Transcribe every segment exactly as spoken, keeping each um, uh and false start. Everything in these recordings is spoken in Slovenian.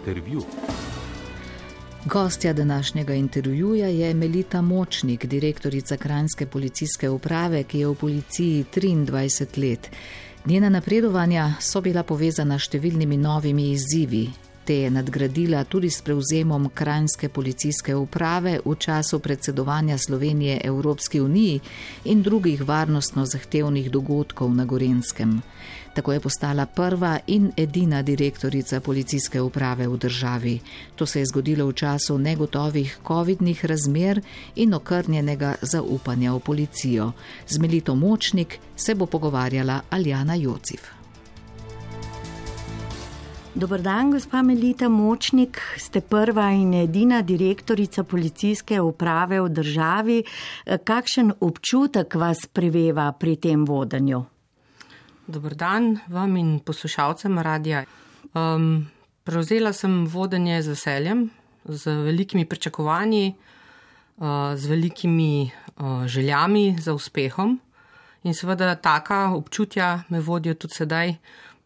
Intervju. Gostja današnjega intervjuja je Melita Močnik, direktorica Kranjske policijske uprave, ki je v policiji triindvajset let. Njena napredovanja so bila povezana s številnimi novimi izzivi. Te je nadgradila tudi s prevzemom Kranjske policijske uprave v času predsedovanja Slovenije Evropski uniji in drugih varnostno zahtevnih dogodkov na Gorenjskem. Tako je postala prva in edina direktorica policijske uprave v državi. To se je zgodilo v času negotovih covidnih razmer in okrnjenega zaupanja v policijo. Z Melito Močnik se bo pogovarjala Aljana Jocif. Dobar dan, gospa Melita Močnik, ste prva in edina direktorica policijske uprave v državi. Kakšen občutek vas preveva pri tem vodenju? Dobar dan vam in poslušalcem radija. Um, prevzela sem vodenje z veseljem, z velikimi pričakovanji, uh, z velikimi uh, željami za uspehom in seveda taka občutja me vodijo tudi sedaj,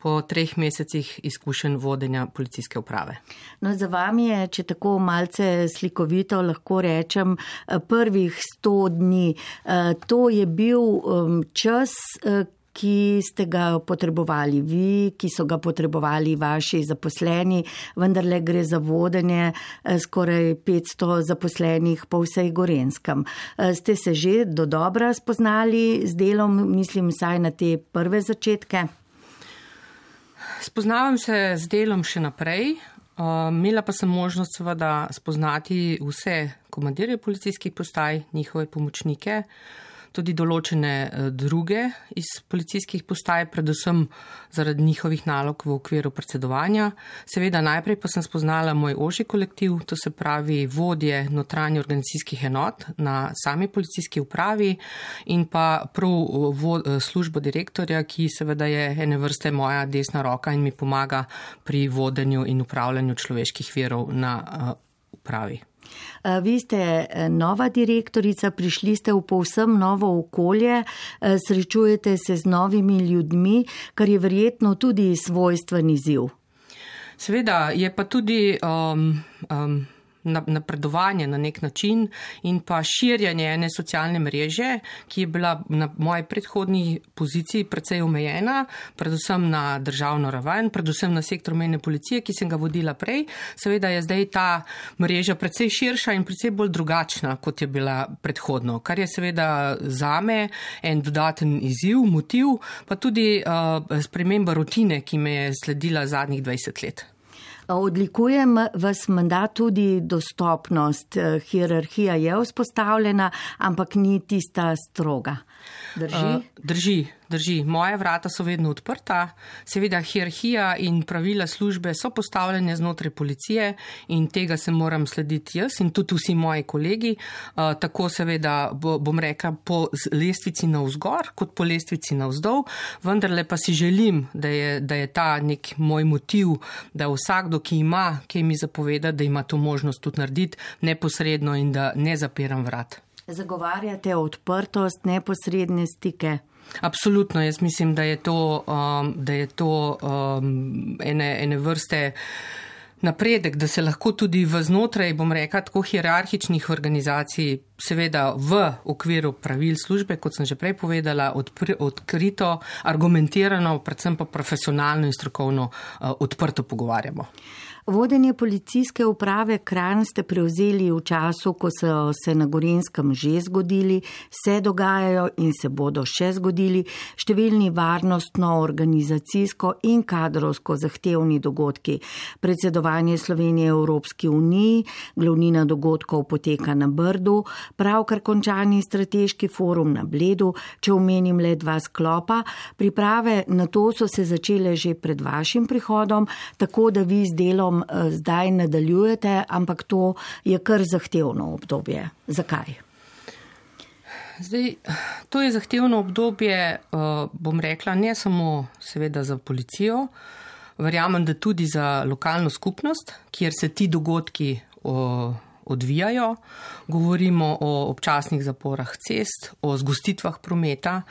po treh mesecih izkušenj vodenja policijske uprave. No, za vami je, če tako malce slikovito lahko rečem, prvih sto dni. To je bil čas, ki ste ga potrebovali vi, ki so ga potrebovali vaši zaposleni, vendarle gre za vodenje skoraj petsto zaposlenih po vsej Gorenjskem. Ste se že dodobra spoznali z delom, mislim, vsaj na te prve začetke? Spoznavam se z delom še naprej, uh, imela pa sem možnost seveda spoznati vse komandirje policijskih postaj, njihove pomočnike, tudi določene uh, druge iz policijskih postaj, predvsem zaradi njihovih nalog v okviru predsedovanja. Seveda najprej pa sem spoznala moj ožji kolektiv, to se pravi vodje notranje organizacijskih enot na sami policijski upravi in pa prav vo, službo direktorja, ki seveda je ene vrste moja desna roka in mi pomaga pri vodenju in upravljanju človeških virov na uh, upravi. Vi ste nova direktorica, prišli ste v povsem novo okolje, srečujete se z novimi ljudmi, kar je verjetno tudi svojstven izziv. Seveda je pa tudi um, um, napredovanje na nek način in pa širjanje ene socialne mreže, ki je bila na moji predhodni poziciji precej omejena, predvsem na državno raven, predvsem na sektor mejne policije, ki sem ga vodila prej. Seveda je zdaj ta mreža precej širša in precej bolj drugačna, kot je bila predhodno, kar je seveda zame en dodaten izziv, motiv, pa tudi uh, sprememba rutine, ki me je sledila zadnjih dvajset let. Odlikujem vas menda tudi dostopnost. Hierarhija je vzpostavljena, ampak ni tista stroga. Drži? Uh, drži, drži. Moja vrata so vedno odprta. Seveda hierarhija in pravila službe so postavljene znotraj policije in tega se moram slediti jaz in tudi vsi moji kolegi. Uh, tako seveda bom rekla po lestvici navzgor kot po lestvici navzdol, vendarle pa si želim, da je, da je ta nek moj motiv, da vsakdo, ki ima, ki mi zapoveda, da ima to možnost tudi narediti neposredno in da ne zapiram vrat. Zagovarjate odprtost, neposredne stike? Absolutno, jaz mislim, da je to, um, da je to um, ene, ene vrste napredek, da se lahko tudi v znotraj, bom rekla, tako hierarhičnih organizacij, seveda v okviru pravil službe, kot sem že prej povedala, odpr- odkrito, argumentirano, predvsem pa profesionalno in strokovno uh, odprto pogovarjamo. Vodenje policijske uprave Kranj ste prevzeli v času, ko so se na Gorenjskem že zgodili, se dogajajo in se bodo še zgodili številni varnostno, organizacijsko in kadrovsko zahtevni dogodki. Predsedovanje Slovenije Evropski uniji, glavnina dogodkov poteka na Brdu, pravkar končani strateški forum na Bledu, če omenim le dva sklopa. Priprave na to so se začele že pred vašim prihodom, tako da vi z delom zdaj nadaljujete, ampak to je kar zahtevno obdobje. Zakaj? Zdaj, to je zahtevno obdobje, bom rekla, ne samo seveda za policijo, verjamem, da tudi za lokalno skupnost, kjer se ti dogodki odvijajo. Govorimo o občasnih zaporah cest, o zgostitvah prometa,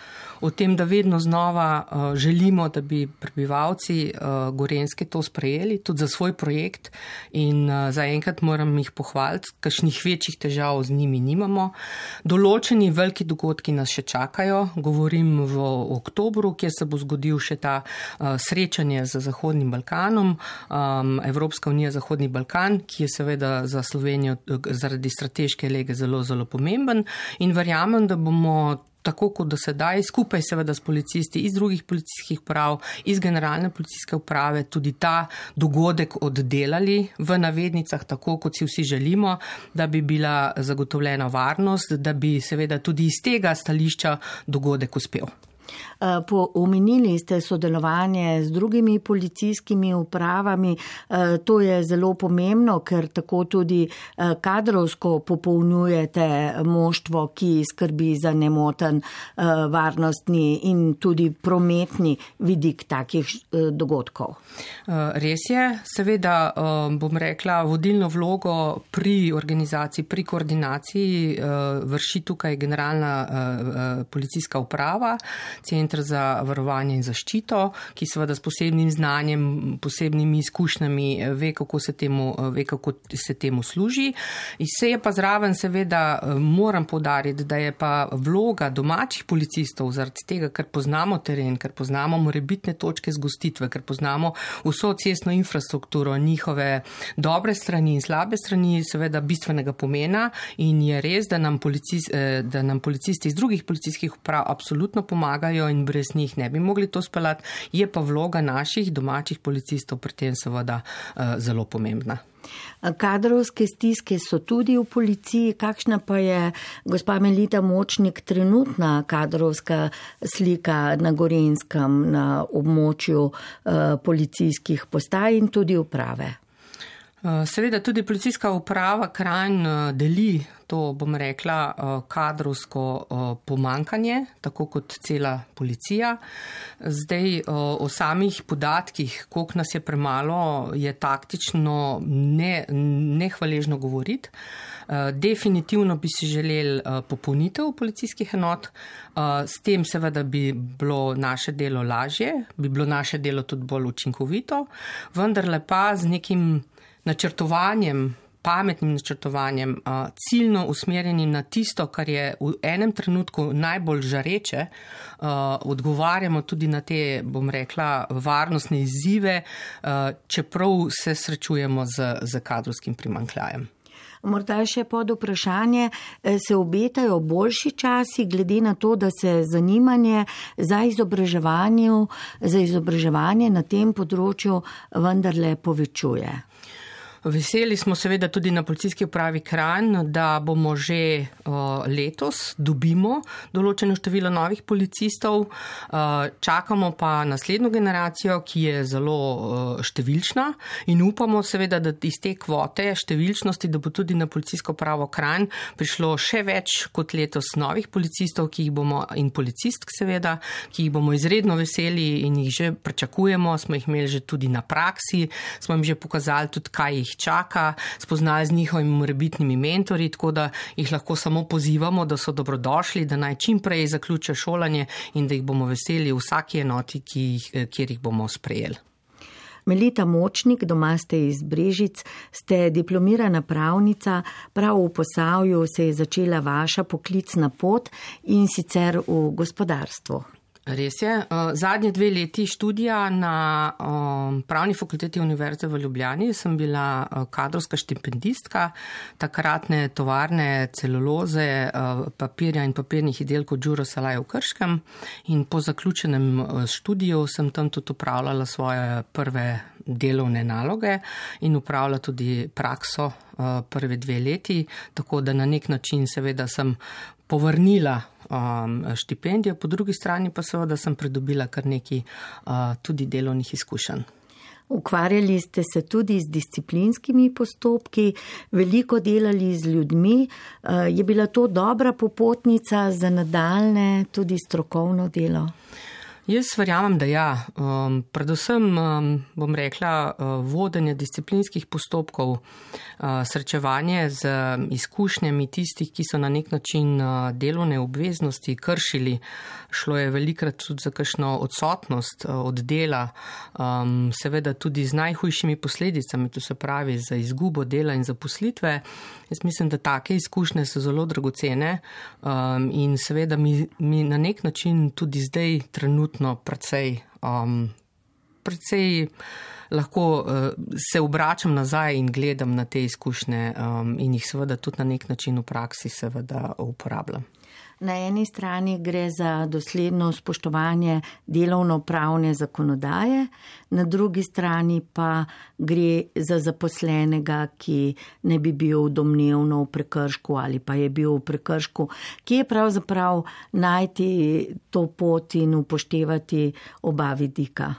o tem, da vedno znova želimo, da bi prebivalci Gorenjske to sprejeli, tudi za svoj projekt, in zaenkrat moram jih pohvaliti, kakšnih večjih težav z njimi nimamo. Določeni veliki dogodki nas še čakajo, govorim v oktobru, kjer se bo zgodil še ta srečanje z Zahodnim Balkanom, Evropska unija Zahodni Balkan, ki je seveda za Slovenijo zaradi strateške lege zelo, zelo pomemben, in verjamem, da bomo tako kot do sedaj, skupaj seveda s policisti iz drugih policijskih uprav, iz generalne policijske uprave, tudi ta dogodek oddelali v navednicah, tako kot si vsi želimo, da bi bila zagotovljena varnost, da bi seveda tudi iz tega stališča dogodek uspel. Omenili ste sodelovanje z drugimi policijskimi upravami. To je zelo pomembno, ker tako tudi kadrovsko popolnjujete moštvo, ki skrbi za nemoten varnostni in tudi prometni vidik takih dogodkov. Res je, seveda bom rekla, vodilno vlogo pri organizaciji, pri koordinaciji vrši tukaj generalna policijska uprava, Centr za varovanje in zaščito, ki seveda s posebnim znanjem, posebnimi izkušnjami ve, kako se temu, ve, kako se temu služi. In se je pa zraven seveda moram poudariti, da je pa vloga domačih policistov zaradi tega, ker poznamo teren, ker poznamo morebitne točke zgostitve, ker poznamo vso cestno infrastrukturo, njihove dobre strani in slabe strani, seveda bistvenega pomena, in je res, da nam, policist, da nam policisti iz drugih policijskih uprav absolutno pomagajo in brez njih ne bi mogli to speljati, je pa vloga naših domačih policistov pri tem seveda zelo pomembna. Kadrovske stiske so tudi v policiji. Kakšna pa je, gospa Melita Močnik, trenutna kadrovska slika na Gorenjskem, na območju policijskih postaj in tudi uprave? Seveda tudi policijska uprava Kranj deli to, bom rekla, kadrovsko pomankanje, tako kot cela policija. Zdaj o samih podatkih, koliko nas je premalo, je taktično ne, nehvaležno govoriti. Definitivno bi si želeli popolnitev policijskih enot, s tem seveda bi bilo naše delo lažje, bi bilo naše delo tudi bolj učinkovito, vendarle pa z nekim načrtovanjem, pametnim načrtovanjem, ciljno usmerjenim na tisto, kar je v enem trenutku najbolj žareče, odgovarjamo tudi na te, bom rekla, varnostne izzive, čeprav se srečujemo z, z kadrovskim primanjkljajem. Morda še pod vprašanje, se obetajo boljši časi, glede na to, da se zanimanje za izobraževanje, za izobraževanje na tem področju vendarle povečuje? Veseli smo seveda tudi na policijski upravi Kranj, da bomo že uh, letos dobimo določeno število novih policistov. Uh, čakamo pa naslednjo generacijo, ki je zelo uh, številčna, in upamo seveda, da iz te kvote številčnosti, da bo tudi na policijsko upravo Kranj prišlo še več kot letos novih policistov, ki jih bomo, in policistk seveda, ki jih bomo izredno veseli in jih že pričakujemo, smo jih imeli že tudi na praksi, smo jim že pokazali tudi, kaj jih čaka, spoznali z njihovimi morebitnimi mentorji, tako da jih lahko samo pozivamo, da so dobrodošli, da naj čim prej zaključijo šolanje in da jih bomo veseli v vsaki enoti, ki jih, kjer jih bomo sprejeli. Melita Močnik, doma ste iz Brežic, ste diplomirana pravnica, prav v Posavju se je začela vaša poklicna pot in sicer v gospodarstvu. Res je. Zadnje dve leti študija na Pravni fakulteti Univerze v Ljubljani sem bila kadrovska štipendistka takratne tovarne celuloze, papirja in papirnih izdelkov Đuro Salaj v Krškem, in po zaključenem študiju sem tam tudi upravljala svoje prve delovne naloge in upravljala tudi prakso prve dve leti, tako da na nek način seveda sem povrnila um, štipendijo, po drugi strani pa seveda sem pridobila kar nekaj uh, tudi delovnih izkušenj. Ukvarjali ste se tudi z disciplinskimi postopki, veliko delali z ljudmi. Je bila to dobra popotnica za nadaljne tudi strokovno delo? Jaz verjamem, da ja. Um, predvsem um, bom rekla uh, vodenje disciplinskih postopkov, uh, srečevanje z izkušnjami tistih, ki so na nek način uh, delovne obveznosti kršili. Šlo je velikrat tudi za kakšno odsotnost uh, od dela, um, seveda tudi z najhujšimi posledicami, to se pravi za izgubo dela in zaposlitve. Jaz mislim, da take izkušnje so zelo dragocene um, in seveda mi, mi na nek način tudi zdaj trenutno precej, um, precej lahko uh, se obračam nazaj in gledam na te izkušnje um, in jih seveda tudi na nek način v praksi seveda uporabljam. Na eni strani gre za dosledno spoštovanje delovno-pravne zakonodaje, na drugi strani pa gre za zaposlenega, ki ne bi bil domnevno v prekršku ali pa je bil v prekršku. Kje je pravzaprav najti to pot in upoštevati oba vidika?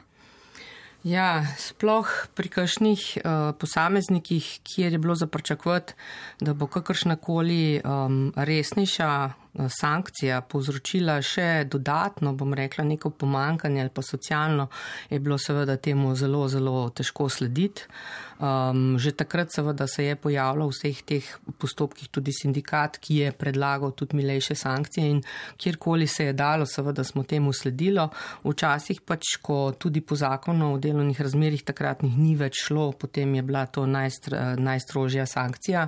Ja, sploh pri kakšnih uh, posameznikih, kjer je bilo za pričakovati, da bo kakršnakoli um, resnejša uh, sankcija povzročila še dodatno, bom rekla, neko pomankanje ali pa socialno, je bilo seveda temu zelo, zelo težko slediti. Um, že takrat seveda se je pojavljal v vseh teh postopkih tudi sindikat, ki je predlagal tudi milejše sankcije in kjerkoli se je dalo, seveda smo temu sledilo. Včasih pač, ko tudi po zakonu o delovnih razmerjih takratnih ni več šlo, potem je bila to najstr, najstrožja sankcija,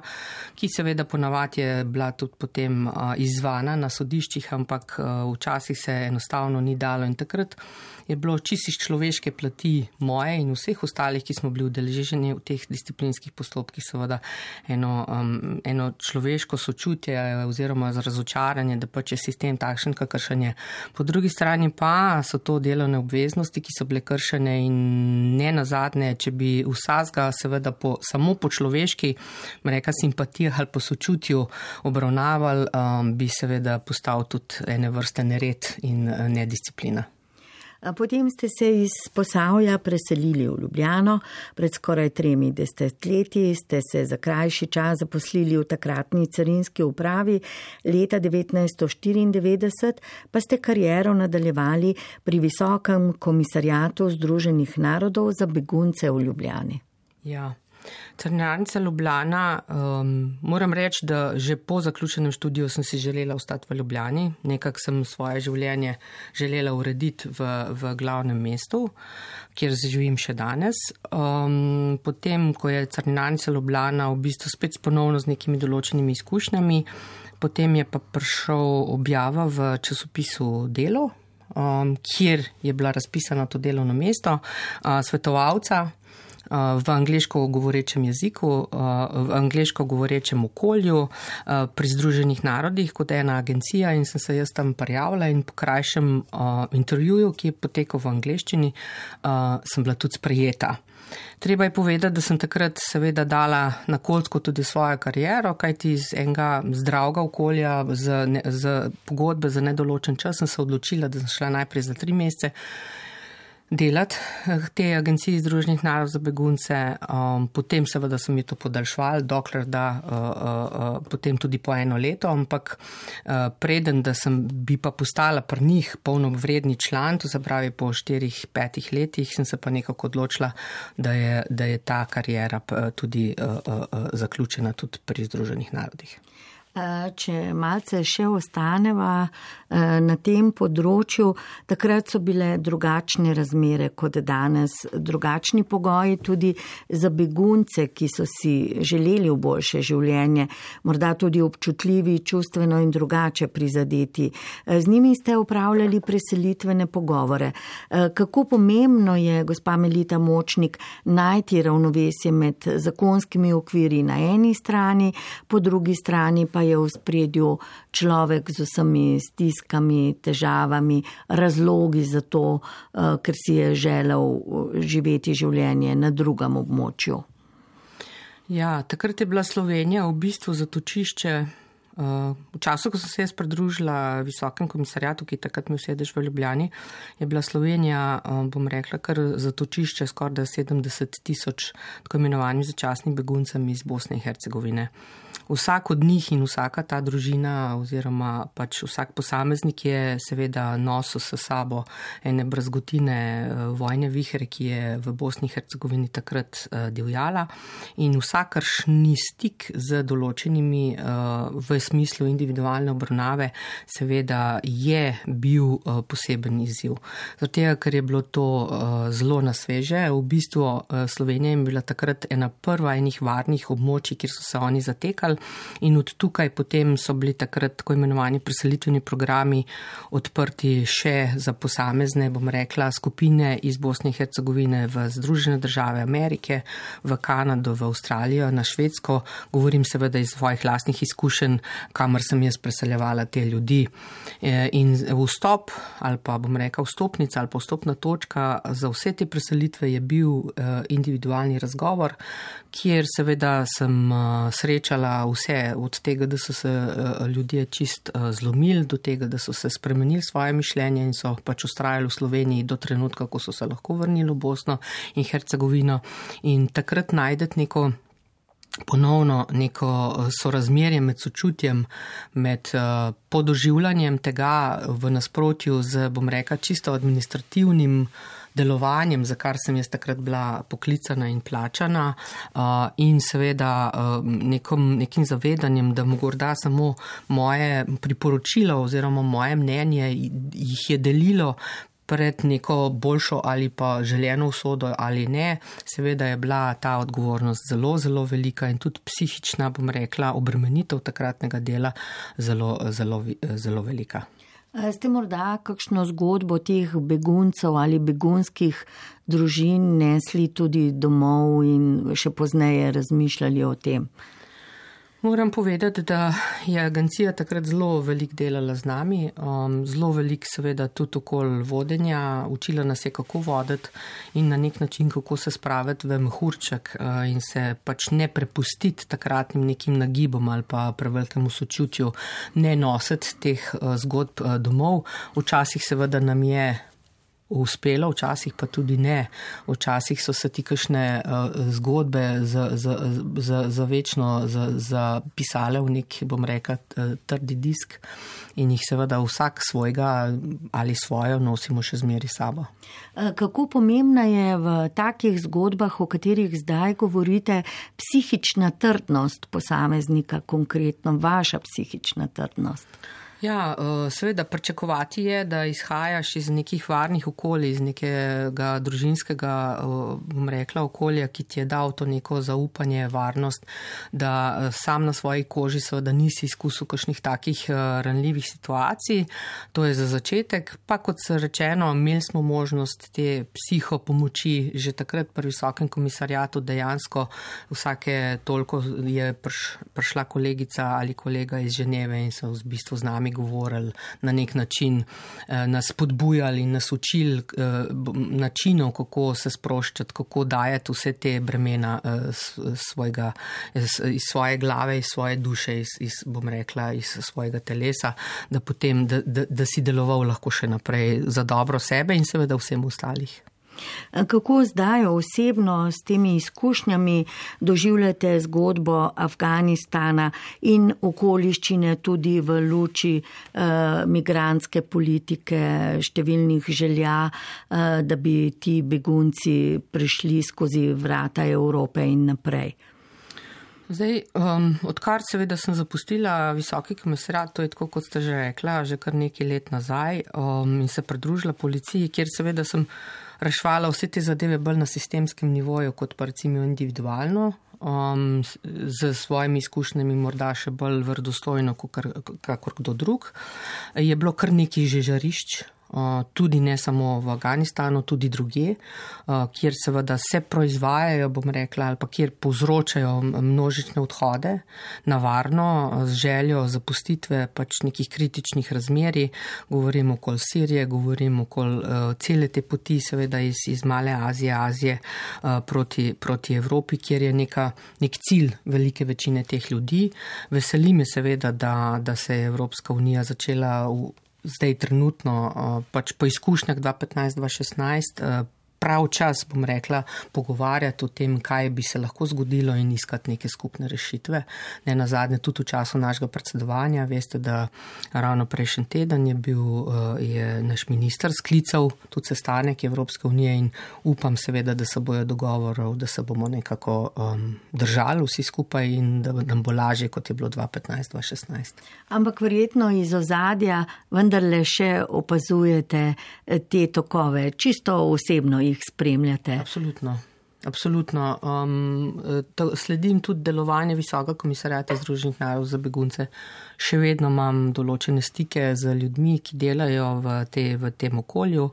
ki seveda ponavadi je bila tudi potem uh, izvana na sodiščih, ampak uh, včasih se enostavno ni dalo in takrat je bilo čisto iz človeške plati moje in vseh ostalih, ki smo bili udeleženi v teh disciplinskih postopkih, seveda eno, um, eno človeško sočutje oziroma razočaranje, da pač je sistem takšen, kakršen je. Po drugi strani pa so to delovne obveznosti, ki so bile kršene in ne nazadnje, če bi vsazga seveda po, samo po človeški, reka simpatijah ali po sočutju obravnaval, um, bi seveda postal tudi ene vrste nered in uh, nedisciplina. Potem ste se iz Posavja preselili v Ljubljano, pred skoraj tremi desetletji ste se za krajši čas zaposlili v takratni carinski upravi, leta devetnajststo štiriindevetdeset pa ste kariero nadaljevali pri Visokem komisariatu Združenih narodov za begunce v Ljubljani. Ja. Carinarnica Ljubljana, um, moram reči, da že po zaključenem študiju sem si želela ostati v Ljubljani. Nekako sem svoje življenje želela urediti v, v glavnem mestu, kjer živim še danes. Um, potem, ko je Carinarnica Ljubljana v bistvu spet ponovno z nekimi določenimi izkušnjami, potem je pa prišel objava v časopisu Delo, um, kjer je bila razpisana to delovno mesto uh, svetovalca v angleško govorečem jeziku, v angleško govorečem okolju, pri Združenih narodih kot ena agencija in sem se jaz tam prijavila in po krajšem intervjuju, ki je potekal v angleščini, sem bila tudi sprejeta. Treba je povedati, da sem takrat seveda dala na kocko tudi svojo kariero, kajti iz enega zdravega okolja z, ne, z pogodbe za nedoločen čas sem se odločila, da sem šla najprej za tri mesece delati te agenciji Združenih narodov za begunce, um, potem seveda sem mi to podaljšvala, dokler da uh, uh, potem tudi po eno leto, ampak uh, preden, da sem bi pa postala pri njih polnovredni član, to se pravi po štirih, petih letih, sem se pa nekako odločila, da je, da je ta karijera tudi uh, uh, zaključena tudi pri Združenih narodih. Če malce še ostaneva na tem področju, takrat so bile drugačne razmere kot danes, drugačni pogoji tudi za begunce, ki so si želeli v boljše življenje, morda tudi občutljivi, čustveno in drugače prizadeti. Z njimi ste upravljali preselitvene pogovore. Kako pomembno je, gospa Melita Močnik, najti ravnovesje med zakonskimi okviri na eni strani, po drugi strani pa je v spredju človek z vsemi stiskami, težavami, razlogi za to, ker si je želel živeti življenje na drugem območju. Ja, takrat je bila Slovenija v bistvu zatočišče V času, ko sem se jaz pridružila Visokem komisarjatu, ki takrat mi sedež v Ljubljani, je bila Slovenija, bom rekla, kar zatočišče skoraj sedemdeset tisoč tako imenovanih začasnih beguncem iz Bosne in Hercegovine. Vsak od njih in vsaka ta družina oziroma pač vsak posameznik je seveda nosil s sabo ene brazgotine vojne vihre, ki je v Bosni in Hercegovini takrat divjala, in vsakršni stik z določenimi v smislu individualne obravnave seveda je bil poseben izziv. Zato, ker je bilo to zelo na sveže, v bistvu Slovenija je bila takrat ena prva enih varnih območij, kjer so se oni zatekali, in od tukaj potem so bili takrat tako imenovani preselitveni programi odprti še za posamezne, bom rekla, skupine iz Bosne in Hercegovine v Združene države Amerike, v Kanado, v Avstralijo, na Švedsko. Govorim seveda iz svojih lastnih izkušenj, kamor sem jaz preseljevala te ljudi. In vstop ali pa bom rekla vstopnica ali pa vstopna točka za vse te preselitve je bil individualni razgovor, kjer seveda sem srečala vse, od tega, da so se ljudje čist zlomili, do tega, da so se spremenili svoje mišljenje in so pač ustrajali v Sloveniji do trenutka, ko so se lahko vrnili v Bosno in Hercegovino. In takrat najdete neko ponovno neko sorazmerje med sočutjem, med podoživljanjem tega v nasprotju z, bom rekla, čisto administrativnim delovanjem, za kar sem jaz takrat bila poklicana in plačana, in seveda nekom, nekim zavedanjem, da morda samo moje priporočilo oziroma moje mnenje jih je delilo pred neko boljšo ali pa željeno usodo ali ne. Seveda je bila ta odgovornost zelo, zelo velika in tudi psihična, bom rekla, obremenitev takratnega dela zelo, zelo, zelo velika. Ste morda kakšno zgodbo teh beguncev ali begunskih družin nesli tudi domov in še pozneje razmišljali o tem? Moram povedati, da je agencija takrat zelo velik delala z nami, um, zelo velik seveda tudi okoli vodenja, učila nas je kako voditi in na nek način kako se spraviti v mehurček uh, in se pač ne prepustiti takratnim nekim nagibom ali pa prevelikemu sočutju, ne nositi teh uh, zgodb uh, domov. Včasih seveda nam je uspelo, včasih pa tudi ne. Včasih so se ti kakšne uh, zgodbe za, za, za, za večno zapisale v nek, bom rekla, trdi disk in jih seveda vsak svojega ali svojo nosimo še zmeri sabo. Kako pomembna je v takih zgodbah, o katerih zdaj govorite, psihična trdnost posameznika, konkretno vaša psihična trdnost? Ja, seveda pričakovati je, da izhajaš iz nekih varnih okolij, iz nekega družinskega, bom rekla, okolja, ki ti je dal to neko zaupanje, varnost, da sam na svoji koži seveda nisi izkusil kakšnih takih ranljivih situacij. To je za začetek, pa kot se rečeno, imeli smo možnost te psihopomoči že takrat pri Visokem komisarjatu, dejansko vsake toliko je prišla kolegica ali kolega iz Ženeve in so v bistvu z nami govorili na nek način, nas spodbujali in nas učili načinov, kako se sproščati, kako dajati vse te bremena svojega, iz svoje glave, iz svoje duše, iz, iz, bom rekla, iz svojega telesa, da potem, da, da, da si deloval lahko še naprej za dobro sebe in seveda vsem ostalih. Kako zdaj osebno s temi izkušnjami doživljate zgodbo Afganistana in okoliščine tudi v luči eh, migrantske politike, številnih želja, eh, da bi ti begunci prišli skozi vrata Evrope in naprej? Zdaj, um, odkar seveda sem zapustila Visoki komisarjat, to je tako, kot ste že rekla, že kar nekaj let nazaj, um, in se pridružila policiji, kjer seveda sem rešvala vse te zadeve bolj na sistemskem nivoju, kot pa recimo individualno, um, z svojimi izkušnjami morda še bolj verodostojno, kakor kdo drug. Je bilo kar nekaj že žarišč, tudi ne samo v Afganistanu, tudi drugje, kjer seveda se proizvajajo, bom rekla, ali pa kjer povzročajo množične odhode na varno z željo zapustitve pač nekih kritičnih razmerij. Govorim okoli Sirije, govorim okoli cele te poti, seveda iz, iz Male Azije, Azije proti, proti Evropi, kjer je neka, nek cilj velike večine teh ljudi. Veseli me seveda, da, da se je Evropska unija začela v zdaj trenutno, pač po izkušnjah dva petnajst dva šestnajst, prav čas, bom rekla, pogovarjati o tem, kaj bi se lahko zgodilo in iskati neke skupne rešitve. Ne nazadnje tudi v času našega predsedovanja, veste, da ravno prejšnji teden je bil je naš minister sklical tudi sestanek Evropske unije in upam seveda, da se bojo dogovorov, da se bomo nekako um, držali vsi skupaj in da nam bo lažje, kot je bilo dva petnajst dva šestnajst. Ampak verjetno iz ozadja vendarle še opazujete te tokove, čisto osebno jih spremljate. Absolutno. Absolutno. Um, to, sledim tudi delovanje Visokega komisarjata Združenih narodov za begunce. Še vedno imam določene stike z ljudmi, ki delajo v, te, v tem okolju.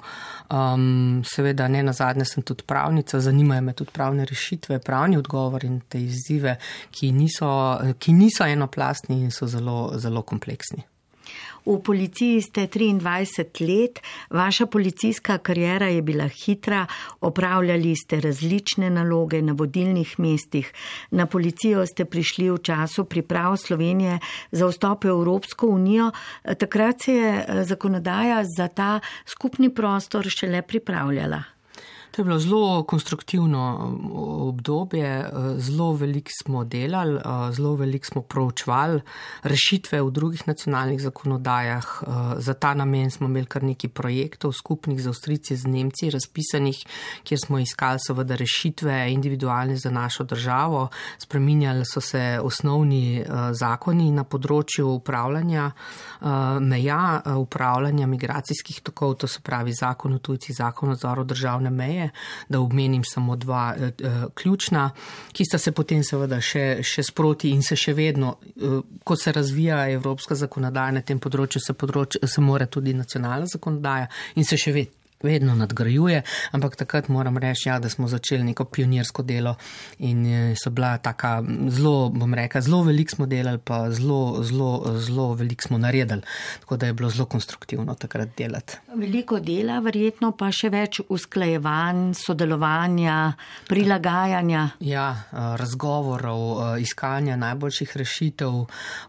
Um, seveda ne nazadnje sem tudi pravnica, zanimajo me tudi pravne rešitve, pravni odgovor in te izzive, ki niso, ki niso enoplastni in so zelo, zelo kompleksni. V policiji ste triindvajset let, vaša policijska kariera je bila hitra, opravljali ste različne naloge na vodilnih mestih. Na policijo ste prišli v času priprav Slovenije za vstop v Evropsko unijo. Takrat se je zakonodaja za ta skupni prostor šele pripravljala. To je bilo zelo konstruktivno obdobje, zelo veliko smo delali, zelo veliko smo proučevali rešitve v drugih nacionalnih zakonodajah. Za ta namen smo imeli kar nekaj projektov skupnih z Avstrijci, z Nemci, razpisanih, kjer smo iskali seveda rešitve individualne za našo državo. Spreminjali so se osnovni zakoni na področju upravljanja meja, upravljanja migracijskih tokov, to se pravi zakon o tujcih, zakon o nadzoru državne meje, da omenim samo dva eh, ključna, ki sta se potem seveda še, še sproti in se še vedno, eh, ko se razvija evropska zakonodaja na tem področju, se, področju, se mora tudi nacionalna zakonodaja in se še vedno. vedno nadgrajuje, ampak takrat moram reči, ja, da smo začeli neko pionirsko delo in so bila taka zelo, bom rekla, zelo veliko smo delali, pa zelo, zelo, zelo veliko smo naredili, tako da je bilo zelo konstruktivno takrat delati. Veliko dela, verjetno pa še več usklajevanj, sodelovanja, prilagajanja. Ja, razgovorov, iskanja najboljših rešitev,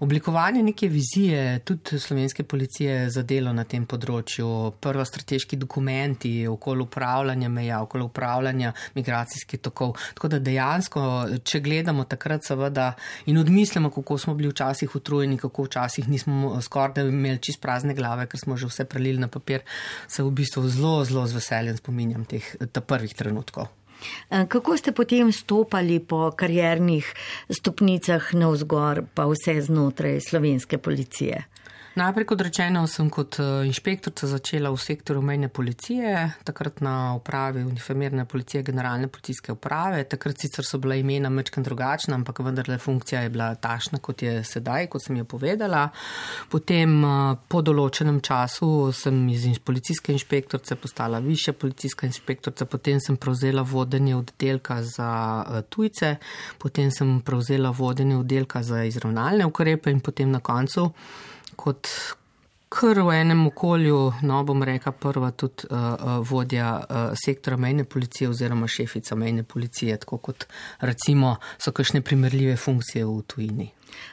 oblikovanje neke vizije, tudi slovenske policije za delo na tem področju, prva strateški dokument, okoli upravljanja meja, okoli upravljanja migracijskih tokov. Tako da dejansko, če gledamo takrat seveda in odmislimo, kako smo bili včasih utrujeni, kako včasih nismo skoraj da imeli čist prazne glave, ker smo že vse prelili na papir, se v bistvu zelo, zelo z veseljem spominjam teh prvih trenutkov. Kako ste potem stopali po kariernih stopnicah navzgor, pa vse znotraj slovenske policije? Najprej, kot rečeno, sem kot inšpektorica začela v sektorju mejne policije, takrat na upravi uniformirane policije, generalne policijske uprave. Takrat sicer so bila imena majčkeno drugačna, ampak vendarle funkcija je bila takšna, kot je sedaj, kot sem jo povedala. Potem po določenem času sem iz policijske inšpektorice postala višja policijska inšpektorica, potem sem prevzela vodenje oddelka za tujce, potem sem prevzela vodenje oddelka za izravnalne ukrepe in potem na koncu kot kar v enem okolju, no bom rekla prva tudi uh, vodja uh, sektora mejne policije oziroma šefica mejne policije, tako kot recimo so kakšne primerljive funkcije v tujini.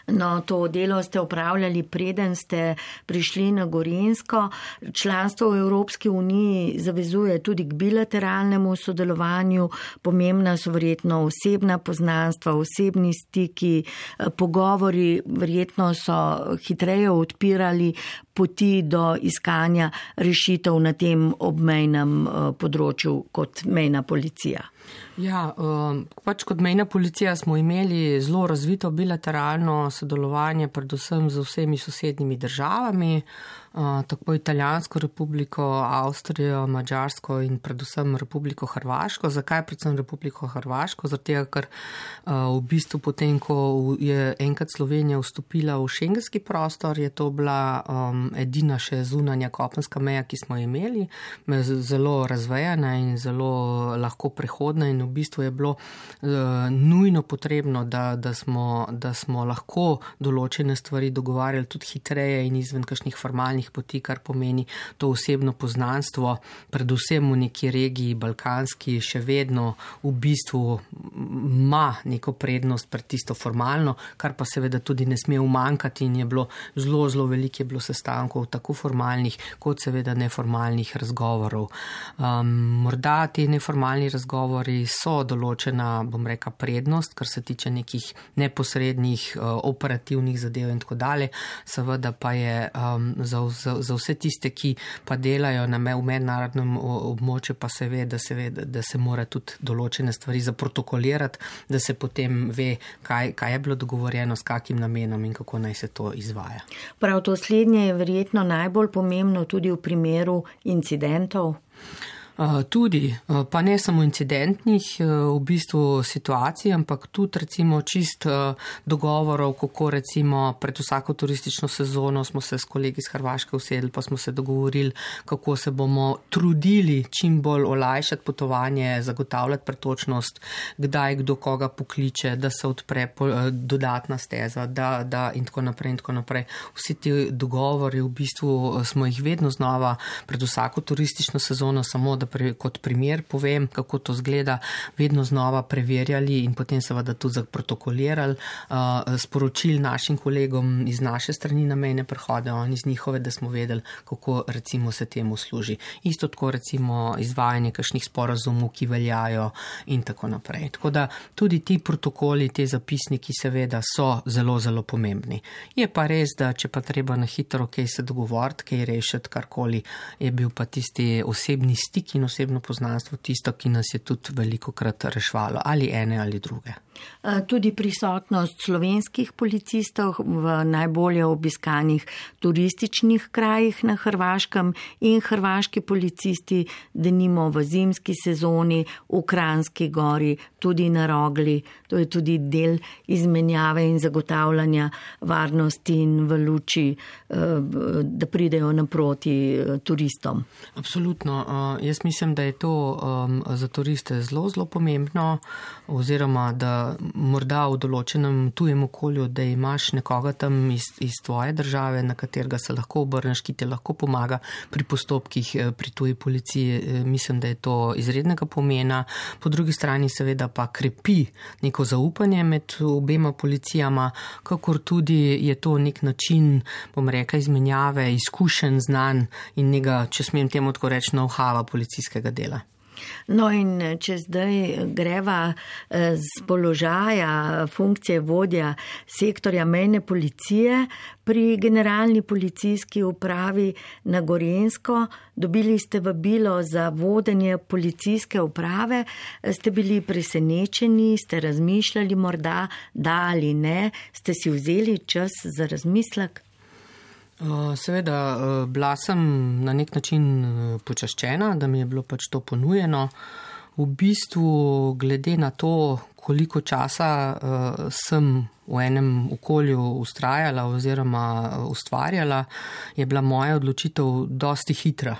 No, to delo ste upravljali, preden ste prišli na Gorenjsko. Članstvo v Evropski uniji zavezuje tudi k bilateralnemu sodelovanju. Pomembna so verjetno osebna poznanstva, osebni stiki, pogovori verjetno so hitreje odpirali poti do iskanja rešitev na tem obmejnem področju kot mejna policija. Ja, pač kot mejna policija smo imeli zelo razvito bilateralno sodelovanje, predvsem z vsemi sosednjimi državami. tako Italijansko republiko, Avstrijo, Madžarsko in predvsem Republiko Hrvaško. Zakaj predvsem Republiko Hrvaško? Zaradi tega, ker v bistvu potem, ko je enkrat Slovenija vstopila v šengenski prostor, je to bila um, edina še zunanja kopenska meja, ki smo imeli, zelo razvejana in zelo lahko prehodna in v bistvu je bilo uh, nujno potrebno, da, da, smo, da smo lahko določene stvari dogovarjali tudi hitreje in izven kakšnih formalnih poti, kar pomeni to osebno poznanstvo, predvsem v neki regiji balkanski še vedno v bistvu ima neko prednost pred tisto formalno, kar pa seveda tudi ne sme umankati in je bilo zelo, zelo veliko je bilo sestankov, tako formalnih kot seveda neformalnih razgovorov. Um, morda ti neformalni razgovori so določena, bom rekla, prednost, kar se tiče nekih neposrednih uh, operativnih zadev in tako dalje. Seveda pa je um, za, za, za vse tiste, ki pa delajo na me, v mednarodnem območju, pa se ve, da se ve, da se mora tudi določene stvari zaprotokolirati, da se potem ve, kaj, kaj je bilo dogovorjeno, s kakim namenom in kako naj se to izvaja. Prav to slednje je verjetno najbolj pomembno tudi v primeru incidentov. Tudi, pa ne samo incidentnih v bistvu situacij, ampak tudi recimo čist dogovorov, kako recimo pred vsako turistično sezono smo se s kolegi iz Hrvaške usedli, pa smo se dogovorili, kako se bomo trudili čim bolj olajšati potovanje, zagotavljati pretočnost, kdaj kdo koga pokliče, da se odpre dodatna steza, da, da in tako naprej in tako naprej. Vsi ti dogovori v bistvu smo jih vedno znova pred vsako turistično sezono, samo da Pre, kot primer povem, kako to zgleda, vedno znova preverjali in potem seveda tudi zaprotokolirali, uh, sporočili našim kolegom iz naše strani na mejne prehode, oni iz njihove, da smo vedeli, kako recimo se temu služi. Isto tako recimo izvajanje kakšnih sporazumov, ki veljajo in tako naprej. Tako da tudi ti protokoli, te zapisniki seveda so zelo, zelo pomembni. Je pa res, da če pa treba na hitro kaj se dogovoriti, kaj rešiti, karkoli, je bil pa tisti osebni stik in osebno poznanstvo tisto, ki nas je tudi veliko krat rešvalo, ali ene ali druge. Tudi prisotnost slovenskih policistov v najbolje obiskanih turističnih krajih na Hrvaškem in hrvaški policisti, denimo v zimski sezoni, v Kranjski gori, tudi na Rogli. To je tudi del izmenjave in zagotavljanja varnosti in v luči, da pridejo naproti turistom. Absolutno. Jaz mislim, da je to za turiste zelo, zelo pomembno, oziroma da morda v določenem tujem okolju, da imaš nekoga tam iz, iz tvoje države, na katerega se lahko obrneš, ki te lahko pomaga pri postopkih pri tuji policiji. Mislim, da je to izrednega pomena. Po drugi strani seveda pa krepi neko zaupanje med obema policijama, kakor tudi je to nek način, bom rekla, izmenjave, izkušenj, znanj in njega, če smem temu tako reči, know-howa policijskega dela. No in če zdaj greva z položaja funkcije vodja sektorja mejne policije pri generalni policijski upravi na Gorenjsko, dobili ste vabilo za vodenje policijske uprave, ste bili presenečeni, ste razmišljali morda, da ali ne, ste si vzeli čas za razmislek? Seveda, bila sem na nek način počaščena, da mi je bilo pač to ponujeno. V bistvu, glede na to, koliko časa sem v enem okolju ustrajala oziroma ustvarjala, je bila moja odločitev dosti hitra.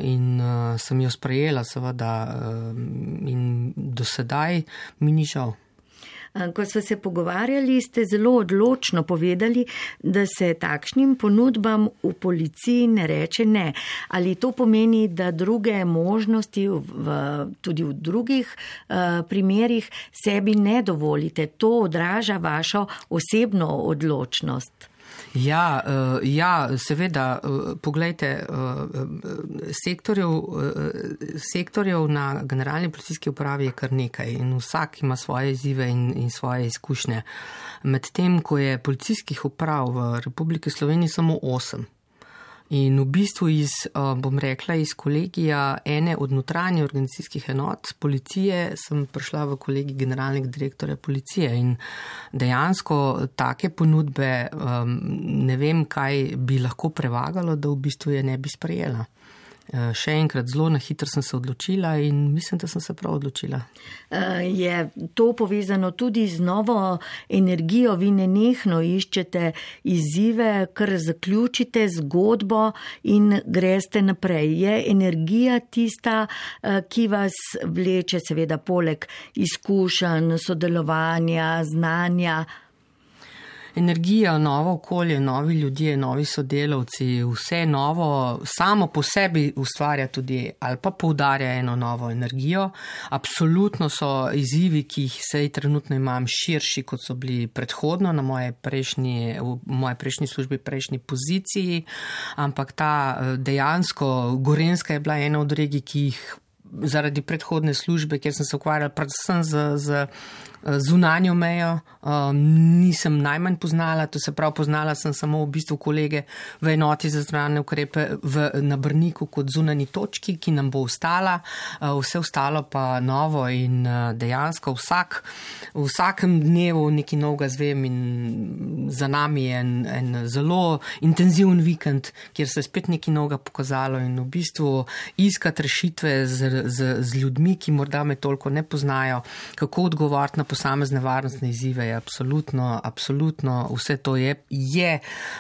In sem jo sprejela, seveda, in do sedaj mi ni žal. Ko smo se pogovarjali, ste zelo odločno povedali, da se takšnim ponudbam v policiji ne reče ne. Ali to pomeni, da druge možnosti v, tudi v drugih uh, primerih sebi ne dovolite? To odraža vašo osebno odločnost. Ja, ja, seveda, poglejte, sektorjev, sektorjev na generalni policijski upravi je kar nekaj in vsak ima svoje izzive in, in svoje izkušnje. Medtem, ko je policijskih uprav v Republiki Sloveniji samo osem. In v bistvu iz, bom rekla, iz kolegija ene od notranjih organizacijskih enot policije sem prišla v kolegij generalnega direktorja policije in dejansko take ponudbe ne vem, kaj bi lahko prevagalo, da v bistvu je ne bi sprejela. Še enkrat, zelo na hitro sem se odločila in mislim, da sem se prav odločila. Je to povezano tudi z novo energijo? Vi nenehno iščete izzive, kar zaključite zgodbo in greste naprej. Je energija tista, ki vas vleče, seveda poleg izkušenj, sodelovanja, znanja? Energija, novo okolje, novi ljudje, novi sodelavci, vse novo samo po sebi ustvarja tudi ali pa poudarja eno novo energijo. Absolutno so izzivi, ki jih sej trenutno imam, širši, kot so bili predhodno na moje prejšnji, v moje prejšnji službi, prejšnji poziciji, ampak ta dejansko Gorenjska je bila ena od regij, ki jih zaradi predhodne službe, kjer sem se ukvarjala predvsem z, z zunanjo mejo, um, nisem najmanj poznala, to se prav poznala sem samo v bistvu kolege v enoti za zunanje ukrepe v, na Brniku kot zunani točki, ki nam bo ostala, uh, vse ostalo pa novo in uh, dejansko vsak, v vsakem dnevu nekaj novega zvem in za nami je en, en zelo intenziven vikend, kjer se je spet nekaj novega pokazalo in v bistvu iskati rešitve z, z, z ljudmi, ki morda me toliko ne poznajo, kako odgovoriti na posamezne varnostne izzive je absolutno, absolutno vse to je, je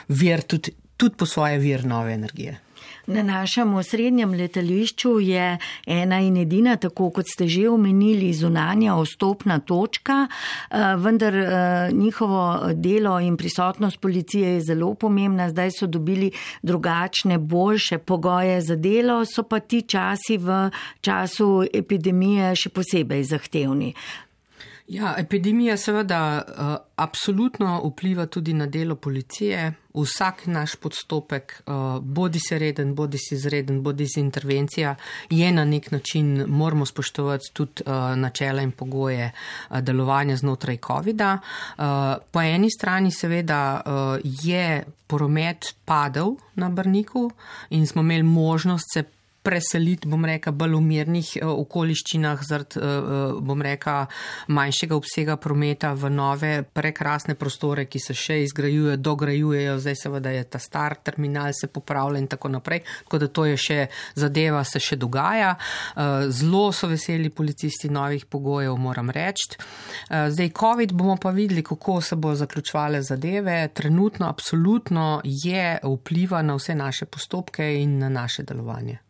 vir tudi, tudi po svoje vir nove energije. Na našem osrednjem letališču je ena in edina, tako kot ste že omenili, zunanja vstopna točka, vendar njihovo delo in prisotnost policije je zelo pomembna. Zdaj so dobili drugačne, boljše pogoje za delo, so pa ti časi v času epidemije še posebej zahtevni. Ja, epidemija seveda uh, absolutno vpliva tudi na delo policije. Vsak naš podstopek, uh, bodi se reden, bodi si izreden, bodi si intervencija, je na nek način, moramo spoštovati tudi uh, načela in pogoje uh, delovanja znotraj covida. Uh, po eni strani seveda uh, je promet padel na Brniku in smo imeli možnost se preseliti, bom reka, bolj v mirnih okoliščinah zaradi, bom reka, manjšega obsega prometa v nove prekrasne prostore, ki se še izgrajujejo, dograjujejo, zdaj seveda je ta star terminal se popravlja in tako naprej, tako da to je še zadeva, se še dogaja. Zelo so veseli policisti novih pogojev, moram reči. Zdaj, COVID bomo pa videli, kako se bo zaključovale zadeve. Trenutno absolutno je vpliva na vse naše postopke in na naše delovanje.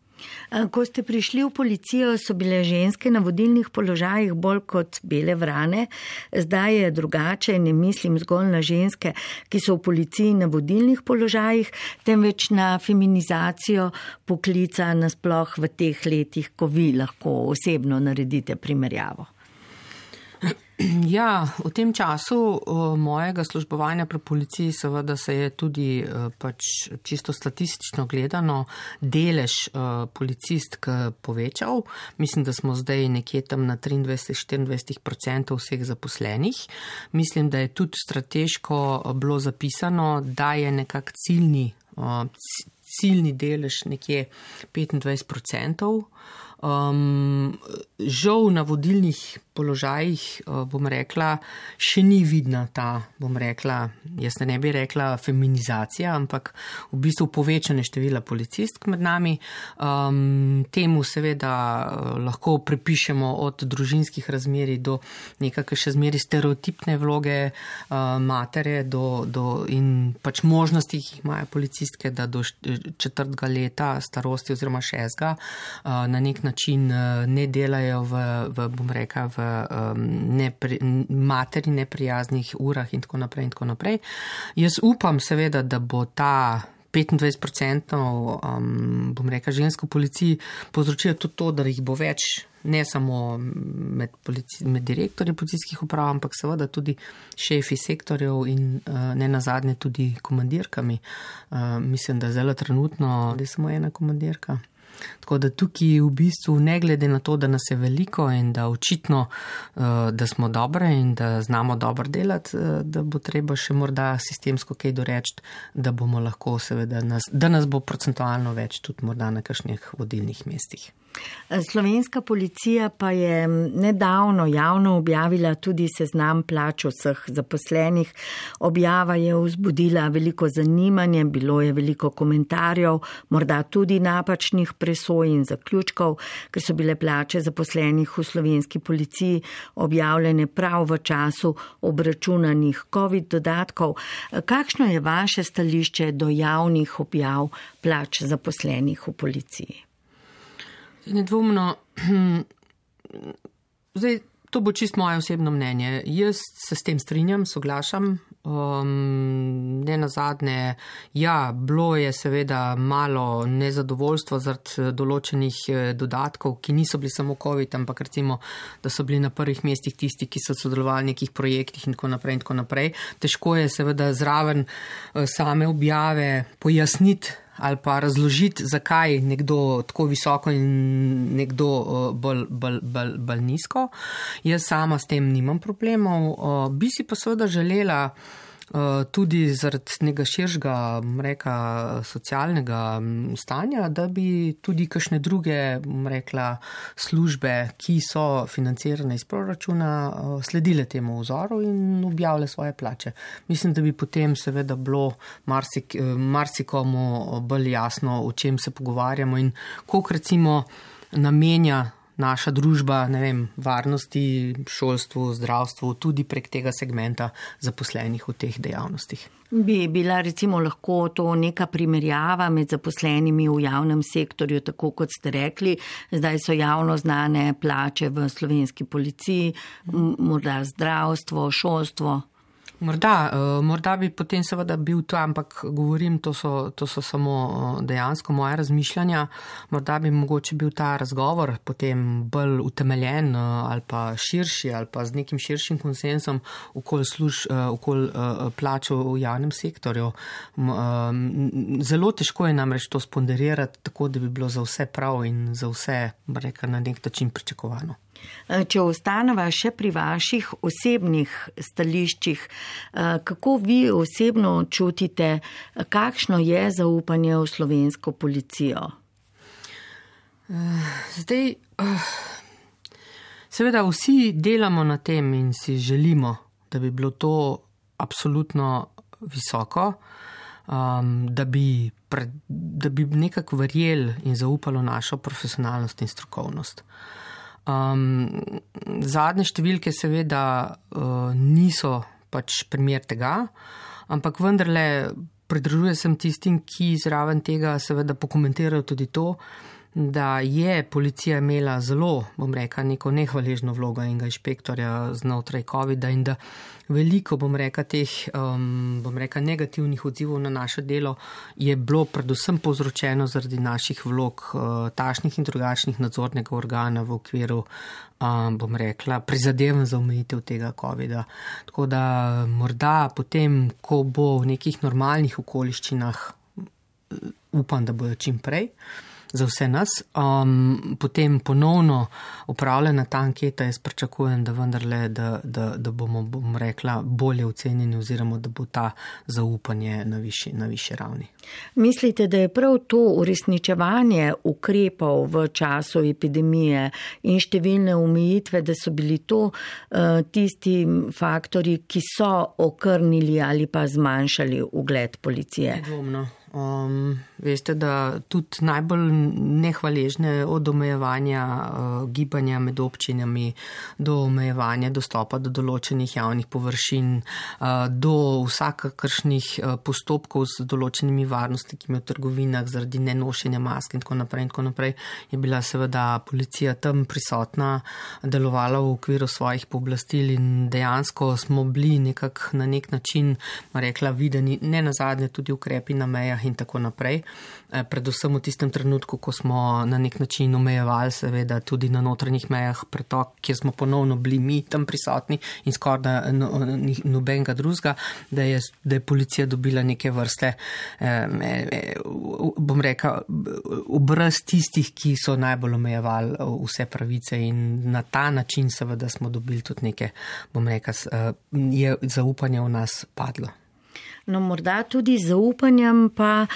Ko ste prišli v policijo, so bile ženske na vodilnih položajih bolj kot bele vrane. Zdaj je drugače, ne mislim zgolj na ženske, ki so v policiji na vodilnih položajih, temveč na feminizacijo poklica nasploh v teh letih, ko vi lahko osebno naredite primerjavo. Ja, v tem času mojega službovanja pri policiji seveda se je tudi pač čisto statistično gledano delež policistk povečal. Mislim, da smo zdaj nekje tam na triindvajset do štiriindvajset odstotkov vseh zaposlenih. Mislim, da je tudi strateško bilo zapisano, da je nekak ciljni, ciljni delež nekje petindvajset odstotkov. Um, žal na vodilnih položajih, bom rekla, še ni vidna ta, bom rekla, jaz ne bi rekla feminizacija, ampak v bistvu povečanje števila policistk med nami. Um, temu seveda lahko pripišemo od družinskih razmerij do nekakšne še zmeri stereotipne vloge uh, matere do, do, in pač možnosti, ki jih imajo policistke, da do četrtega leta starosti oziroma šestega uh, na nek način uh, ne delajo v, v bom rekla, v Nepri, materi neprijaznih urah in tako naprej in tako naprej. Jaz upam seveda, da bo ta petindvajset odstotkov, um, bom rekla, žensko policiji povzročilo tudi to, da jih bo več, ne samo med, polici, med direktorji policijskih uprav, ampak seveda tudi šefi sektorjev in uh, ne nazadnje tudi komandirkami. Uh, mislim, da zelo trenutno je samo ena komandirka. Tako da tukaj v bistvu ne glede na to, da nas je veliko in da očitno, da smo dobre in da znamo dobro delati, da bo treba še morda sistemsko kaj doreči, da bomo lahko seveda, nas, da nas bo procentualno več tudi morda na kakšnih vodilnih mestih. Slovenska policija pa je nedavno javno objavila tudi seznam plač vseh zaposlenih. Objava je vzbudila veliko zanimanje, bilo je veliko komentarjev, morda tudi napačnih presoj in zaključkov, ker so bile plače zaposlenih v slovenski policiji objavljene prav v času obračunanih COVID dodatkov. Kakšno je vaše stališče do javnih objav plač zaposlenih v policiji? Nedvomno, zdaj, to bo čisto moje osebno mnenje. Jaz se s tem strinjam, soglašam. Um, ne nazadnje, ja, bilo je seveda malo nezadovoljstvo zaradi določenih dodatkov, ki niso bili samo COVID, ampak recimo, da so bili na prvih mestih tisti, ki so sodelovali v nekih projektih in tako naprej in tako naprej. Težko je seveda zraven same objave pojasniti ali pa razložiti, zakaj nekdo tako visoko in nekdo bolj, bolj, bolj, bolj nizko. Jaz sama s tem nimam problemov. Bi si pa seveda želela tudi zaradi nekega širšega, reka, socialnega stanja, da bi tudi kakšne druge, rekla, službe, ki so financirane iz proračuna, sledile temu vzoru in objavile svoje plače. Mislim, da bi potem seveda bilo marsik, marsikomu bolj jasno, o čem se pogovarjamo in koliko recimo namenja naša družba, ne vem, varnosti, šolstvu, zdravstvu, tudi prek tega segmenta zaposlenih v teh dejavnostih. Bi bila recimo lahko to neka primerjava med zaposlenimi v javnem sektorju, tako kot ste rekli, zdaj so javno znane plače v slovenski policiji, morda zdravstvo, šolstvo. Morda, morda bi potem seveda bil to, ampak govorim, to so, to so samo dejansko moje razmišljanja. Morda bi mogoče bil ta razgovor potem bolj utemeljen ali pa širši ali pa z nekim širšim konsensom okoli služ, okoli plačo v javnem sektorju. Zelo težko je namreč to sponderirati tako, da bi bilo za vse prav in za vse, reka, na nek način pričakovano. Če ostaneva še pri vaših osebnih stališčih, kako vi osebno čutite, kakšno je zaupanje v slovensko policijo? Zdaj, seveda vsi delamo na tem in si želimo, da bi bilo to absolutno visoko, da bi, da bi nekako verjeli in zaupalo našo profesionalnost in strokovnost. Um, zadnje številke seveda uh, niso pač primer tega, ampak vendarle pridružujem sem tistim, ki zraven tega seveda pokomentirajo tudi to, da je policija imela zelo, bom rekla, neko nehvaležno vlogo enega inšpektorja znotraj covida in da veliko, bom rekla, teh, um, bom rekla, negativnih odzivov na naše delo je bilo predvsem povzročeno zaradi naših vlog, uh, takšnih in drugačnih nadzornega organa v okviru, um, bom rekla, prizadevanj za omejitev tega covida. Tako da morda potem, ko bo v nekih normalnih okoliščinah, upam, da bojo čim prej, za vse nas. Um, potem ponovno upravljena ta anketa, jaz pričakujem, da vendarle, da, da, da bomo, bom rekla, bolje ocenjeni oziroma da bo ta zaupanje na višji, na višji ravni. Mislite, da je prav to uresničevanje ukrepov v času epidemije in številne omejitve, da so bili to uh, tisti faktori, ki so okrnili ali pa zmanjšali ugled policije? Nedvomno. Um, veste, da tudi najbolj nehvaležne od omejevanja uh, gibanja med občinami do omejevanja dostopa do določenih javnih površin, uh, do vsakakršnih uh, postopkov z določenimi varnostniki v trgovinah zaradi nenošenja mask in tako naprej in tako naprej, je bila seveda policija tam prisotna, delovala v okviru svojih pooblastil in dejansko smo bili nekako na nek način, rekla, videni, ne nazadnje tudi ukrepi na mejah in tako naprej. Predvsem v tistem trenutku, ko smo na nek način omejevali seveda tudi na notranjih mejah pretok, kjer smo ponovno bili mi tam prisotni in skoraj da no, nobenega drugega, da je, da je policija dobila neke vrste, eh, bom rekel, obraz tistih, ki so najbolj omejevali vse pravice in na ta način seveda smo dobili tudi neke, bom rekel, je zaupanje v nas padlo. No, morda tudi z zaupanjem pa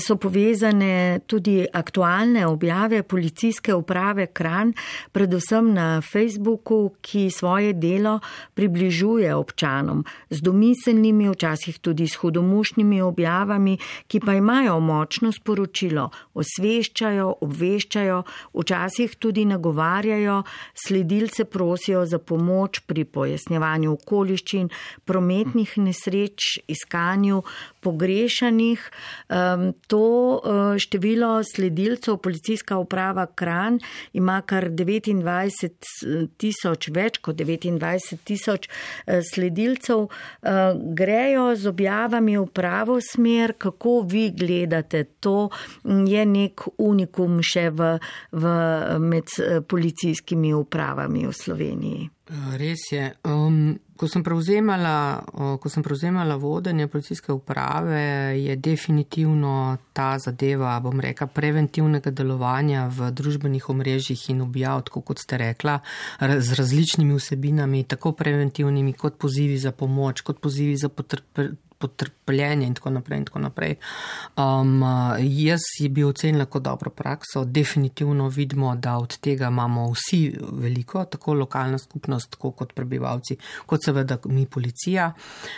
so povezane tudi aktualne objave policijske uprave Kranj, predvsem na Facebooku, ki svoje delo približuje občanom z domiselnimi, včasih tudi s hudomušnimi objavami, ki pa imajo močno sporočilo, osveščajo, obveščajo, včasih tudi nagovarjajo, sledilce prosijo za pomoč pri pojasnjevanju okoliščin, prometnih nesreč, iskanju pogrešanih. To število sledilcev policijska uprava Kranj ima kar devetindvajset tisoč, več kot devetindvajset tisoč sledilcev. Grejo z objavami v pravo smer. Kako vi gledate? To je nek unikum še v, v, med policijskimi upravami v Sloveniji. Res je. Um, ko sem prevzemala, ko sem prevzemala vodenje policijske uprave, je definitivno ta zadeva, bom rekla, preventivnega delovanja v družbenih omrežjih in objav, tako kot ste rekla, z različnimi vsebinami, tako preventivnimi kot pozivi za pomoč, kot pozivi za potrp potrpljenje in tako naprej in tako naprej. Um, jaz je bi ocenila kot dobro prakso. Definitivno vidimo, da od tega imamo vsi veliko, tako lokalna skupnost, tako kot prebivalci, kot seveda mi policija.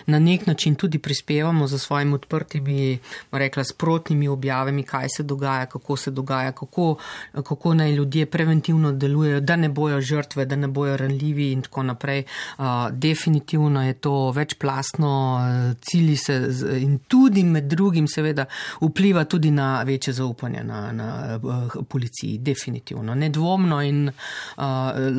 Na nek način tudi prispevamo za svojimi odprtimi, rekla, sprotnimi objavami, kaj se dogaja, kako se dogaja, kako, kako naj ljudje preventivno delujejo, da ne bojo žrtve, da ne bojo ranljivi in tako naprej. Uh, definitivno je to večplastno cilj se in tudi med drugim seveda vpliva tudi na večje zaupanje na, na uh, policiji, definitivno. Nedvomno in uh,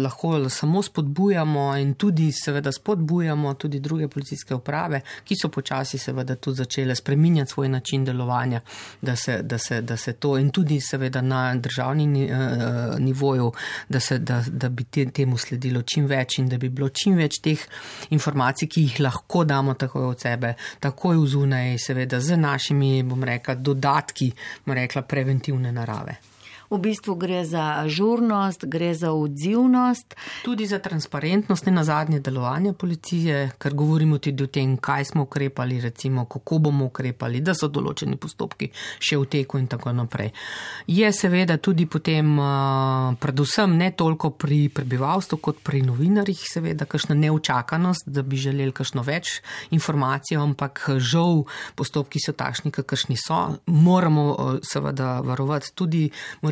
lahko samo spodbujamo in tudi seveda spodbujamo tudi druge policijske uprave, ki so počasi seveda tudi začele spreminjati svoj način delovanja, da se, da se, da se to in tudi seveda na državni uh, nivoju, da, se, da, da bi te, temu sledilo čim več in da bi bilo čim več teh informacij, ki jih lahko damo takoj od sebe, takoj vzunaj, seveda z našimi, bom rekla, dodatki, bom rekla, preventivne narave. V bistvu gre za ažurnost, gre za odzivnost. Tudi za transparentnost in nazadnje delovanja policije, ker govorimo tudi o tem, kaj smo ukrepali, recimo, kako bomo ukrepali, da so določeni postopki še v teku in tako naprej. Je seveda tudi potem, predvsem ne toliko pri prebivalstvu, kot pri novinarjih, seveda, kakšna neučakanost, da bi želeli kakšno več informacij, ampak žal postopki so takšni, kakšni so. Moramo seveda varovati tudi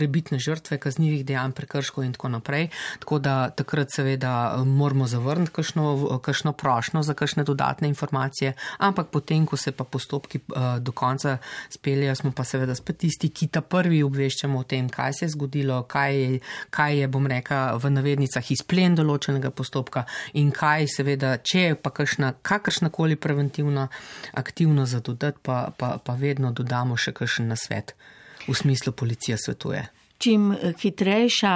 bitne žrtve kaznivih dejanj, prekrškov in tako naprej. Tako da takrat seveda moramo zavrniti kakšno, kakšno prošnjo za kakšne dodatne informacije, ampak potem, ko se pa postopki uh, do konca speljejo, smo pa seveda spet tisti, ki ta prvi obveščamo o tem, kaj se je zgodilo, kaj je, kaj je, bom rekla, v navednicah izplen določenega postopka in kaj seveda, če je pa kakšna, kakršnakoli preventivna aktivnost za dodati, pa, pa, pa vedno dodamo še kakšen nasvet. V smislu policija svetuje. Čim hitrejša,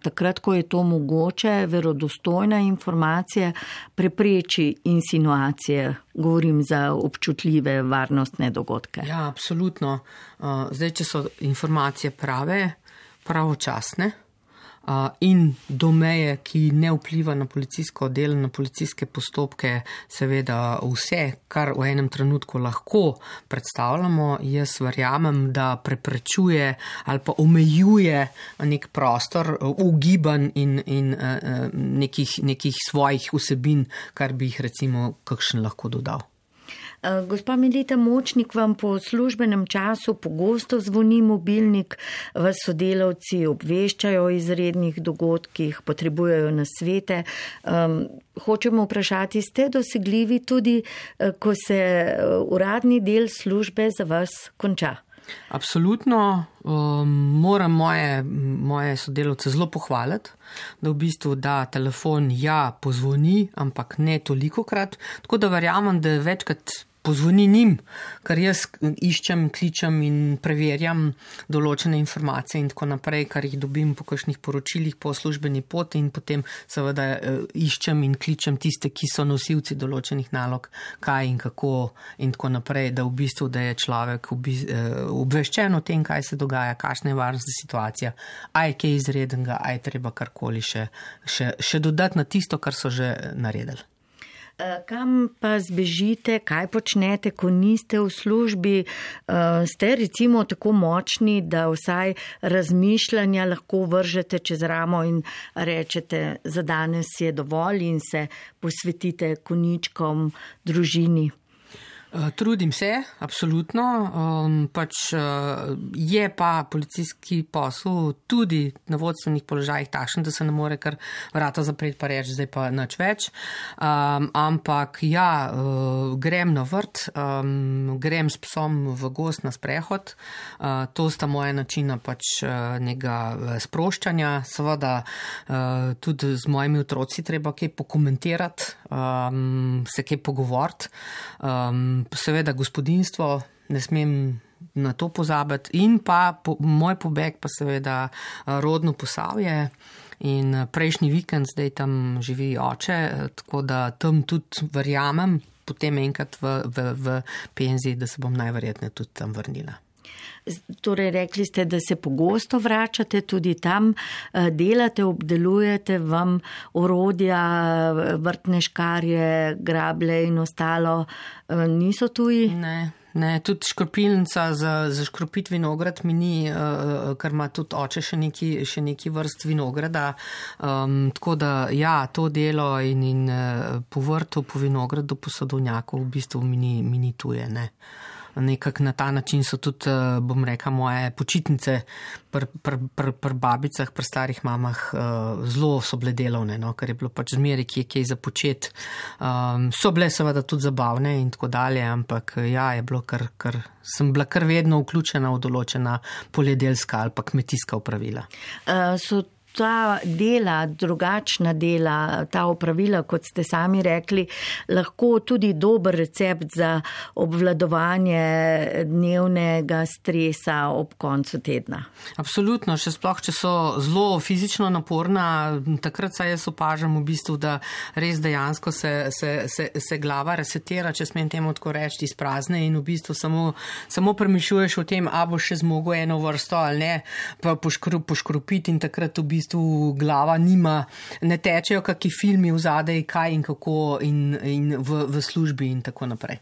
takrat, ko je to mogoče, verodostojna informacija prepreči insinuacije, govorim za občutljive varnostne dogodke. Ja, absolutno. Zdaj, če so informacije prave, pravočasne, in do meje, ki ne vpliva na policijsko delo, na policijske postopke, seveda vse, kar v enem trenutku lahko predstavljamo, jaz verjamem, da preprečuje ali pa omejuje nek prostor ugibanj in, in nekih, nekih svojih vsebin, kar bi jih recimo kakšen lahko dodal. Gospa Melita Močnik, vam po službenem času pogosto zvoni mobilnik, vas sodelavci obveščajo o izrednih dogodkih, potrebujejo nasvete. Um, hočemo vprašati, ste dosegljivi tudi, ko se uradni del službe za vas konča? Absolutno. Um, moram moje, moje sodelavce zelo pohvaliti, da v bistvu da telefon ja pozvoni, ampak ne tolikokrat. Tako da verjamem, da večkrat pozvoni njim, ker jaz iščem, kličem in preverjam določene informacije in tako naprej, kar jih dobim po kakšnih poročilih po službeni poti in potem seveda iščem in kličem tiste, ki so nosilci določenih nalog, kaj in kako in tako naprej, da v bistvu, da je človek obveščen o tem, kaj se dogaja, kakšna je varnostna situacija, a je kaj izredenega, a je treba karkoli še, še, še dodati na tisto, kar so že naredili. Kam pa zbežite, kaj počnete, ko niste v službi? Ste recimo tako močni, da vsaj razmišljanja lahko vržete čez ramo in rečete, za danes je dovolj in se posvetite konjičkom, družini? Trudim se, absolutno, um, pač uh, je pa policijski posel tudi na vodstvenih položajih takšen, da se ne more kar vrata zapreti pa reči, zdaj pa nič več, um, ampak ja, uh, grem na vrt, um, grem s psom v gozd na sprehod, uh, to sta moja načina pač uh, nekega sproščanja, seveda uh, tudi z mojimi otroci treba kaj pokomentirati, um, se kaj pogovoriti, um, seveda gospodinjstvo, ne smem na to pozabiti in pa po, moj pobeg pa seveda rodno Posavje in prejšnji vikend zdaj tam živi oče, tako da tam tudi verjamem, potem enkrat v, v, v penziji, da se bom najverjetneje tudi tam vrnila. Torej, rekli ste, da se pogosto vračate tudi tam, delate, obdelujete, vam orodja, vrtne škarje, grablje in ostalo niso tuji? Ne, ne, tudi škropilnica za, za škropit vinograd mi ni, ker ima tudi oče še neki, še neki vrst vinograda, um, tako da ja, to delo in, in po vrtu, po vinogradu, po sadovnjaku v bistvu mi ni, mi ni tuje, ne. Nekak na ta način so tudi, bom rekla, moje počitnice pri pr, pr, pr babicah, pri starih mamah zelo so bile delovne, no, ker je bilo pač zmeri, ki je kaj za počet. Um, so bile seveda tudi zabavne in tako dalje, ampak ja, je bilo kar, kar, sem bila kar vedno vključena v določena poljedelska ali pa kmetijska opravila. Uh, so ta dela, drugačna dela, ta opravila, kot ste sami rekli, lahko tudi dober recept za obvladovanje dnevnega stresa ob koncu tedna. Absolutno, še sploh, če so zelo fizično naporna, takrat se jaz opažam v bistvu, da res dejansko se, se, se, se glava resetira, če smem temu tako reči, izprazne in v bistvu samo, samo premišljuješ o tem, a boš še zmogel eno vrsto ali ne, pa poškrup, poškrupiti in takrat v bistvu V bistvu glava nima, ne tečejo kakšni filmi v zadej, kaj in kako in, in v, v službi in tako naprej.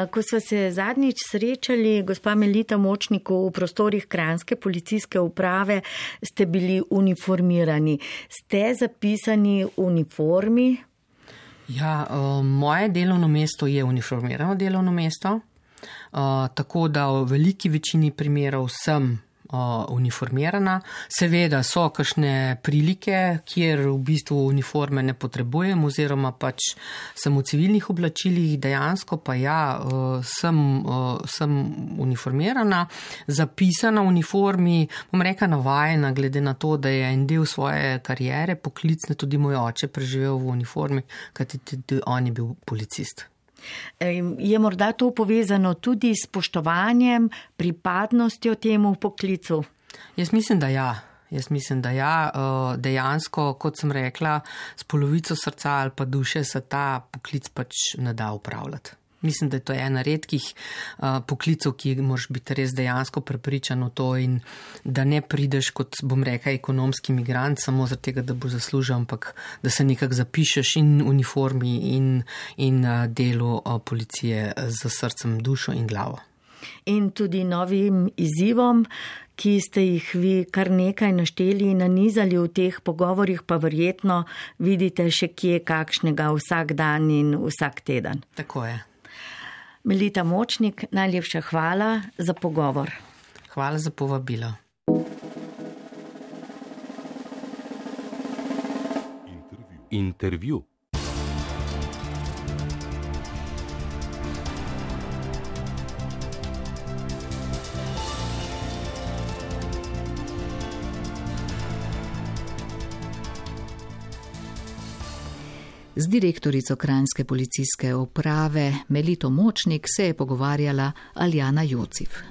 Ko sva se zadnjič srečali, gospa Melita Močnik, v prostorih Kranjske policijske uprave, ste bili uniformirani. Ste zapisani v uniformi? Ja, moje delovno mesto je uniformirano delovno mesto, tako da v veliki večini primerov sem uniformirana. Seveda so kakšne prilike, kjer v bistvu uniforme ne potrebujem oziroma pač sem v civilnih oblačilih, dejansko pa ja, sem, sem uniformirana, zapisana v uniformi, bom rekla navajena, glede na to, da je en del svoje kariere poklicne tudi moj oče preživel v uniformi, kajti tudi on je bil policist. Je morda to povezano tudi s spoštovanjem, pripadnostjo temu poklicu? Jaz mislim, da ja. Jaz mislim, da ja. Dejansko, kot sem rekla, s polovico srca ali pa duše se ta poklic pač ne da upravljati. Mislim, da je to ena redkih uh, poklicov, ki moraš biti res dejansko prepričan v to in da ne prideš kot, bom rekla, ekonomski migrant samo zaradi tega, da boš zaslužil, ampak da se nekako zapišeš in uniformi in, in uh, delu uh, policije z srcem, dušo in glavo. In tudi novim izzivom, ki ste jih vi kar nekaj našteli in nanizali v teh pogovorih, pa verjetno vidite še kje kakšnega vsak dan in vsak teden. Tako je. Melita Močnik, najlepša hvala za pogovor. Hvala za povabilo. Intervju. Z direktorico kranjske policijske uprave Melito Močnik se je pogovarjala Aljana Jocif.